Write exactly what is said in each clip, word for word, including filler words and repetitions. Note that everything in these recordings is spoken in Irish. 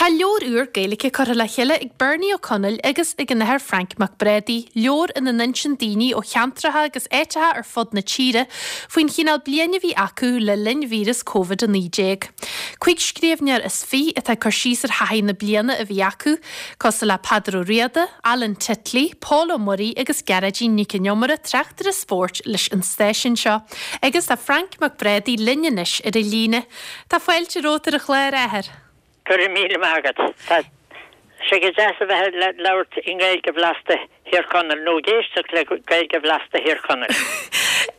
Tá leabhar úr Gaeilge curtha le chéile ag Bernie Ó Conaill agus ag an Athair Frank Mac Brádaigh, leabhar ina n-insíonn daoine ó cheantracha agus áiteacha ar fud na tíre faoin chineál bliana a bhí acu le linn víreas Covid a naoi déag. Cúig scríbhneoir is fiche atá ag cur síos ar thaithí na bliana a bhí acu, cosúil le Peadar Ó Riada, Alan Titley, Pól Ó Muirí agus Gearóidín Nic an Iomaire, tráchtaire spóirt leis an stáisiún seo. Agus tá Frank Mac Brádaigh linn anois ar an líne. Tá fáilte romhat ar an chlár, a Athair. Go raibh míle maith agat. Tá sé go deas a bheith ag labhairt i nGaeilge bhlasta Thír Chonaill nó ag éisteacht le Gaeilge bhlasta Thír Chonaill.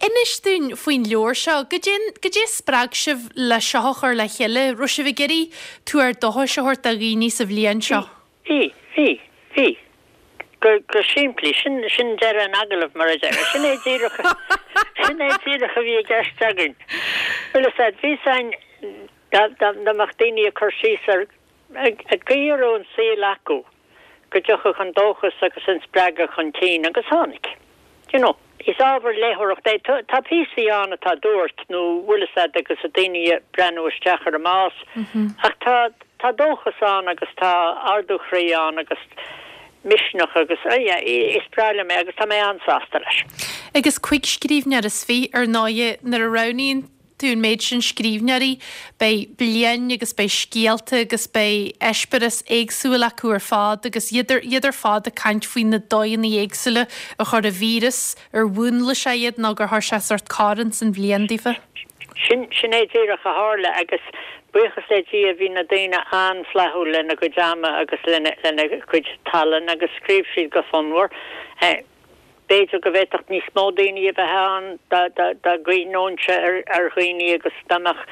Inis dúinn faoin leabhar seo, goidé goidé spreag sibh le seo a chur le chéile, raibh sibh ag iarraidh tuar dóchais a thabhairt do dhaoine sa bhliain seo? Bhí, bhí, bhí. Go go simplí, sin sin deireadh an agallaimh mar a deir. Sin é díreach sin é díreach a bhí i gceist againn. Bhuel is ea, bhí sain dá mbeadh daoine ag cur síos ar an gcaoi a raibh an saol acu, go dtiocfadh an dóchas agus an spreagadh chun cinn, agus tháinig. You know, is ábhar léitheoireachta é. Tá píosaí ann atá dúirt nó bhfuil fhios a'd agus daoine ag breathnú isteach ar a mbás, ach tá tá dóchas ann agus tá ardú chroí ann agus misneach agus yeah, is breá liom é agus tá mé an-sásta leis. Agus cúig scríbhneoir is fiche ar ndóigh nuair a roghnaíonn tú an méid sin scríbhneoirí, beidh bliain agus beidh scéalta agus beidh eispéireas éagsúil acu ar fad agus iad iad ar fad ag caint faoi na dóigheanna éagsúla a chuir an víreas ar mhúnlaigh sé iad nó gur chuir sé sórt cor san bhliain daofa. Sin sin é díreach a tharla agus buíochas le Dia bhí na daoine an-fhlaithiúil lena gcuid ama agus lena lena gcuid tallann agus scríobh siad go fonnmhar. B'fhéidir go bhféadfadh níos mó daoine a bheith ann dá dá gcuimhneoinnse ar ar dhaoine agus dá mbeadh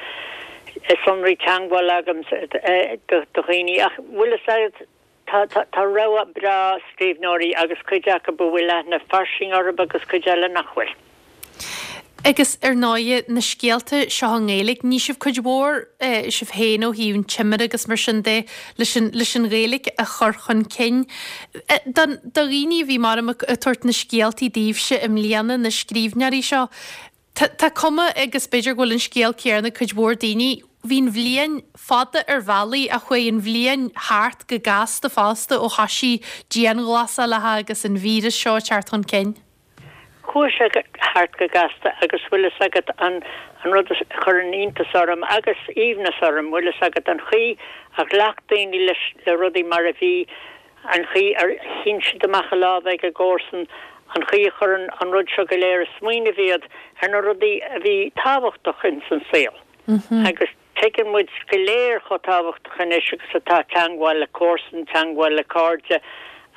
sonraí teagmhála agam do dhaoine ach bhfuil fhios a'd tá tá tá rogha breá scríbhneoirí agus cuid acu a bhfuil aithne fairsing orthu agus cuid eile nach bhfuil. Agus ar ndóigh na scéalta seo i nGaeilge, ní sibh cuid mhór sibh féin ó thaobh an Timire agus mar sin de leis an leis an Ghaeilge a chur chun cinn. Don do dhaoine a bhí mar ag tabhairt na scéaltaí daoibhse i mbliana na scríbhneoirí seo, Tá tá cuma agus b'fhéidir go bhfuil an scéal céanna cuid mhór daoine, bhí an bhliain fada ar bhealaí a chuaigh an bhliain thart go gasta fosta ó thosaigh dianghlasálacha agus an víreas seo ag teacht chun cinn. Chuaigh sé thart go gasta agus bhfuil fhios agat an an rud a chuireann iontas orm agus aoibhneas orm, bhfuil fhios agat an chaoi a ghlac daoine leis le rudaí mar a bhí, an chaoi ar shín siad amach a lámh ag a gcomharsan, an chaoi a chuir an rud seo go léir ag smaoineamh iad ar na rudaí a bhí tábhachtach ins an saol. Agus tuigeann muid go léir chomh tábhachtach anois agus atá teagmháil le comharsan, teagmháil le cairde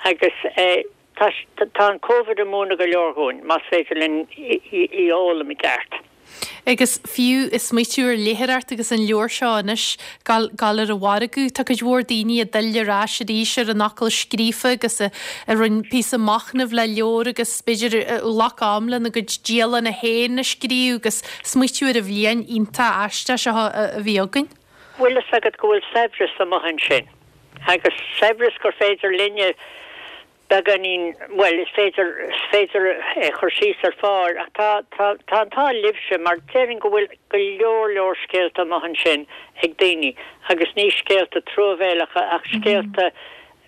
agus eh, Tá tá an Covid ag múineadh go leor dhúinn, más féidir linn í a fhoghlaim i gceart. Agus fiú ag smaoitiú ar léitheoireacht agus an leabhar seo anois gabháil gabháil ar an mhargadh, tá cuid mhór daoine ag dul ar ais arís ar an fhocal scríofa agus a a rinne píosa machnaimh le leabhar agus b'fhéidir a ghlac am lena gcuid dialanna féin a scríobh agus smaoitiú ar an bhliain iontach aisteach seo a bhí againn. Bhfuil fhios agat go bhfuil saibhreas amuigh ansin agus saibhreas gur féidir linne beagáinín, bhuel, is féidir, is féidir é a chur síos ar phár ach tá, tá, tá an t-ádh libhse mar déarfainn go bhfuil go leor leor scéalta amuigh ansin ag daoine agus ní scéalta truamhéalacha ach scéalta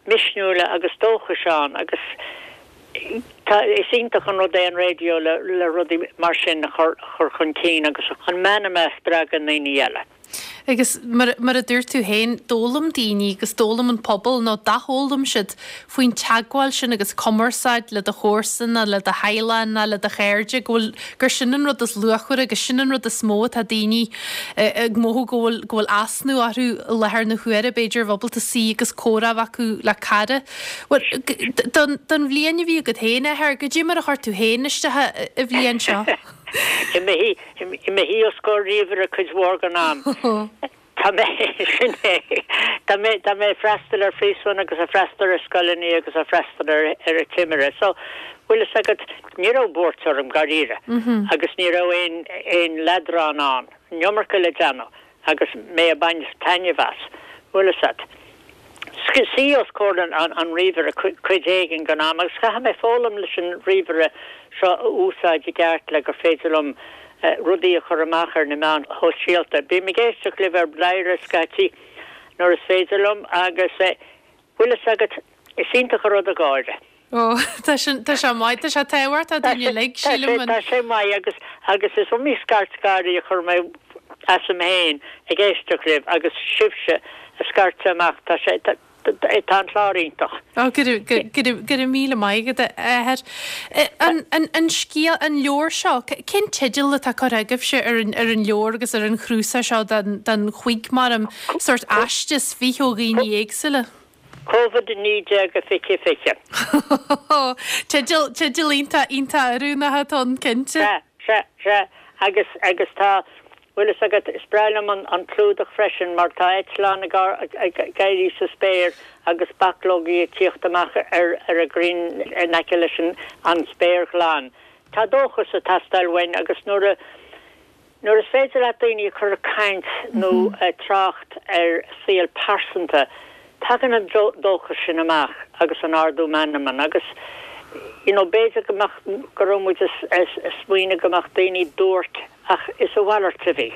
misniúla agus dóchais ann agus tá, is iontach an rud é an raidió le, le rudaí mar sin a chur, chur chun cinn agus an meanma a spreagadh i ndaoine eile. Agus mar mar a dúirt tú féin, d'fhoghlaim daoine agus d'fhoghlaim an pobal nó d'athfhoghlaim siad faoin teagmháil sin agus cumarsáid le do chomharsana, le do theaghlach nó le do chairde, go bhfuil gur sin an rud is luachmhaire agus sin an rud is mó atá daoine ag mothú go bhfuil go bhfuil easnamh orthu i láthair na huaire, b'fhéidir, a bheith ábalta suí agus comhrá a bheith acu le cara. Bhuel, don don bhliain a bhí agat féin, a Athair, goidé mar a chuir tú féin isteach an bhliain seo? I mo shuí os comhair ríomhaire cuid mhór den am. Tá mé, sin é, tá mé, tá mé ag freastal ar phríosún agus ag freastal ar scoileanna agus ag freastal ar ar an Timire. So, bhfuil fhios agat, ní raibh buairt orm, dáiríre, agus ní raibh aon, aon leadrán ann, an iomarca le déanamh agus mé ag baint taitneamh as, bhfuil fhios agat. Suí os comhair an ríomhaire cuid éigin den am agus caithfidh mé foghlaim leis an ríomhaire seo a úsáid i gceart le gur féidir liom rudaí a chur amach ar na meáin shóisialta. Bím ag éisteacht libh ar Bladhaire scaití. nuair is féidir liom agus bhfuil fhios agat, is iontach an rud é gáire. Ó, tá sin, tá sé maith, tá sé tábhachtach dúinn uilig, sílim. Tá sé maith agus agus is iomaí scairt gáirí a chuir mé asam féin ag éisteacht libh agus sibhse a scairteadh amach, tá sé, tá tá an clár iontach. Ó, go raibh, go, go raibh, go raibh míle maith agat, a Athair. An, an, an scéal, an leabhar seo, cén teideal atá curtha agaibhse ar an, ar an leabhar agus ar an chnuasach seo den, den chúig mar um, sórt aisteas fiche ó dhaoine éagsúla? Covid a naoi déag a fiche fiche. Teideal, teideal iontach, iontach oiriúnach atá ann, cinnte. Sea, sea, sea. Agus, agus tá, bhfuil fhios agat, is breá liom an, an clúdach freisin mar tá eitleán ag, ag, ag éirí sa spéir agus bachlógaí ag tíocht amach ar, ar an ghrian in aice leis an, an spéir ghlan. Tá dóchas ag teastáil uainn agus nuair a, Nuair is féidir leat daoine a chur ag caint nó ag trácht ar saol pearsanta, tagann an dóchas sin amach agus an ardú meanman agus you know b'fhéidir go mbeadh, go raibh muid ag smaoineamh go mbeadh daoine duairc ach is a mhalairt a bhí.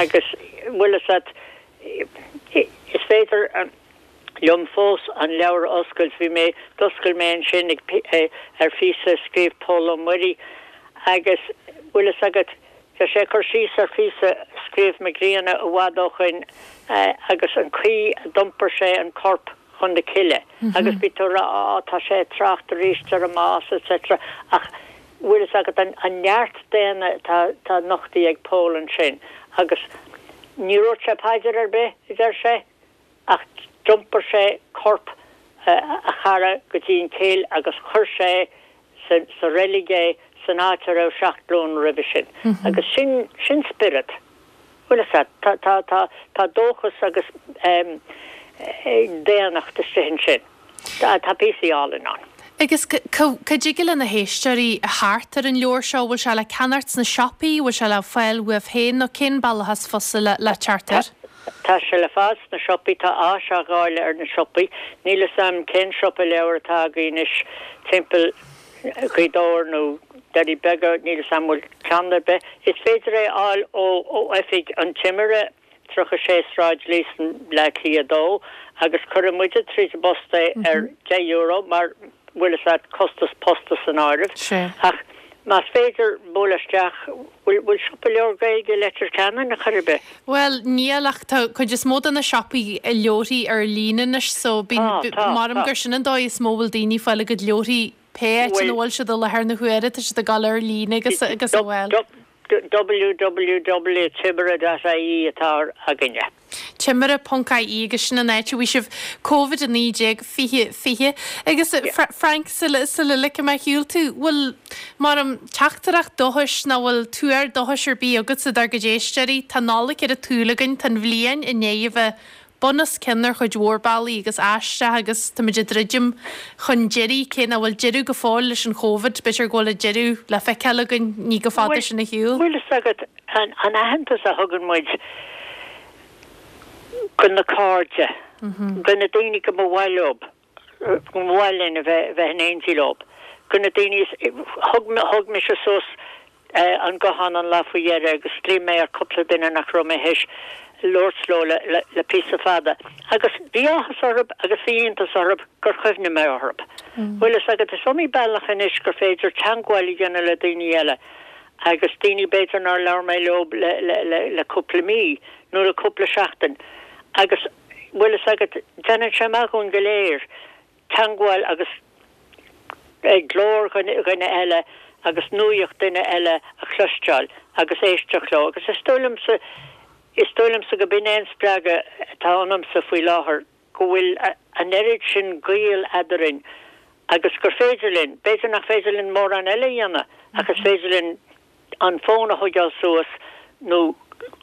Agus bhfuil fhios agat, is féidir liom fós an leabhar a oscailt, bhí mé, d'oscail mé ansin ag ar phíosa a scríobh Pól Ó Muirí agus bhfuil fhios agat, Tá sé ag cur síos ar phíosa a scríobh Mac Grianna i bhfad ó shoin agus an chaoi a d'iompair sé an corp chun na cille agus bhí tú ag rá á tá sé ag trácht arís ar an mbás etc ach bhfuil fhios agat an neart daonna atá atá nochtaithe ag Pól ansin agus ní dúirt sé paidir ar bith a deir sé ach d'iompair sé corp a chara go dtí an chill agus chuir sé sa reilig é san áit a raibh seacht glúin roimhe sin. Agus sin, sin spiorad. Bhfuil fhios agat, tá, tá, tá, tá dóchas agus daonnacht istigh ansin. Tá, tá píosaí álainn ann. Agus cá dtig le na héisteoirí theacht ar an leabhar seo, bhfuil sé le ceannacht sna siopaí, bhfuil sé le fáil uaibh féin nó cén bealach is fusa le, le teacht air? Tá sé le fáil sna siopaí, tá áis á dháileadh ar na siopaí. Níl fhios a'm cén siopa leabhar atá againn anois timpeall Ghaoth Dobhair nó Doirí Beaga, níl fhios a'm bhfuil ceann ar bith. Is féidir é a fháil ó oifig an Timire, tríocha sé Sráid Líosain, Bleá Cliath a dó, agus cuirfidh muide tríd an bpost é ar deich euro mar bhfuil fhios agat, costas posta san áireamh. Ach más féidir bualadh isteach, bhfuil bhfuil siopa leabhar Gaeilge i Leitir Ceanainn ar chor ar bith? Bhuel, níl ach tá cuid is mó de na siopaí leabharthaí ar líne anois so bíonn, Tá, tá, maram tá. gur sin an dóigh is mó a bhfuil daoine ag fáil a gcuid leabharthaí pé áit ina Bhfuil bhfuil siad i láthair na huaire, tá siad ag dul ar líne agus agus a bhfuil. www timire dot ie atá againne. Timire ponc ie agus sin an áit a bhfaighidh sibh Covid a naoi déag fiche fiche. Agus Frank, sula sula ligfidh mé ar shiúl tú, bhfuil mar um teachtaireacht dóchais nó bhfuil tuar dóchais ar bith agatsa dár gcuid éisteoirí? Tá Nollaig ar an tsúil againn, tá an bhliain i ndiaidh a bheith bun os cionn ar chuid mhór bealaí agus aisteach agus táimid ag druidim chun deiridh, cé nach bhfuil deireadh go fóill leis an Chóvid, b'fhéidir go bhfuil an deireadh le feiceáil againn ní go fada Bhfuil sin ar shiúl. bhfuil fhios agat an an aitheantas a thugann muid go na cairde, go na daoine go mba mhaith leo, go mba mhaith linn a bheith bheith in éindí leo, go na daoine is thug thug mise suas an guthán an lá faoi dheireadh agus ghlaoigh mé ar cúpla duine nach raibh mé théis labhairt leo le le le píosa fada agus bhí áthas orthu agus bhí iontas orthu gur chuimhnigh mé orthu. Bhfuil fhios agat, is iomaí bealach anois gur féidir teagmháil a dhéanamh le daoine eile agus daoine b'fhéidir nár labhair mé leo le le le le cúpla mí nó le cúpla seachtain agus bhfuil fhios agat, déanann sé maith dhúinn go léir teagmháil agus glór dhuine eile agus nuaíocht duine eile a chloisteáil agus éisteacht leo agus is dóigh liomsa, is dóigh liomsa go b'in é an spreagadh atá ionamsa faoi láthair, go bhfuil an oiread sin gaoil eadrainn agus gur féidir linn, b'fhéidir nach féidir linn mórán eile a dhéanamh ach is féidir linn an fón a thógáil suas nó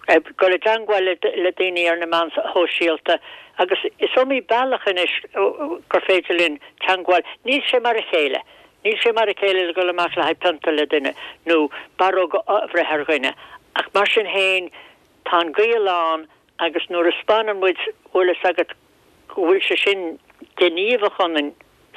dul i dteangmháil le daoine ar na meáin shóisialta agus is iomaí bealach anois gur féidir linn teangmháil. Níl sé mar a chéile. Níl sé mar a chéile le dul amach le haghaidh pionta le duine nó barróg a bhreith ar dhuine ach mar sin féin tá an gaol ann agus nuair a 'speánann muid, bhfuil fhios agat, go bhfuil sé sin gníomhach ionainn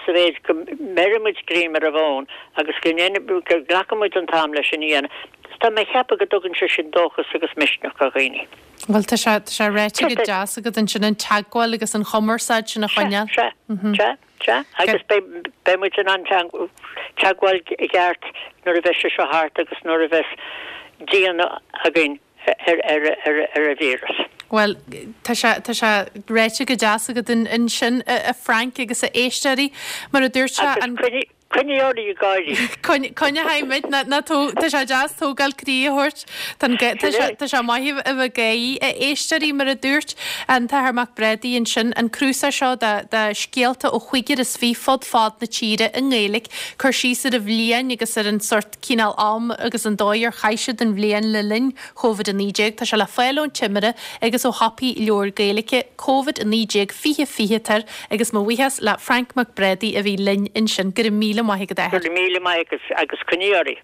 sa mhéid go mbeireann muid greim ar an bhfón agus go ndéanann, go nglacann muid an t-am leis sin a dhéanamh. Tá mé ag ceapadh go dtugann sé sin dóchas agus misneach do dhaoine. Bhuel tá sé tá sé ráite go deas agat ansin an teagmháil agus an chumarsáid sin a choinneáil. Sea, sea, sea, agus beidh beidh muid in ann teagmháil i gceart nuair a bheas sé seo thart agus nuair a bheas díonadh againn ar ar ar ar an víreas. Bhuel tá sé tá sé ráite go deas agat ansin a Frank agus a éisteoirí mar a dúirt sé an Coinnigh oraibh ag gáirí. Coinneoidh muid ná tá sé deas tógáil croí a thabhairt. Tá sé maith a bheith ag gáirí a éisteoirí mar a dúirt an tAthair Mac Brádaigh ansin an cnuasach seo de scéalta ó chúigear is fiche fud fad na tíre i nGaeilge, cur síos ar an bhliain agus ar an sort cineál am agus an dóigh ar chaith siad an bhliain le linn Covid a naoi déag. Tá sé le fáil ón Timire agus ó shiopaí leabhar Gaeilge, Covid a naoi déag fiche fiche tar agus mo bhuíochas le Frank Mac Brádaigh a bhí linn ansin. Go raibh míle maith agat a Athair. Go raibh míle maith agat agus coinnigh oraibh.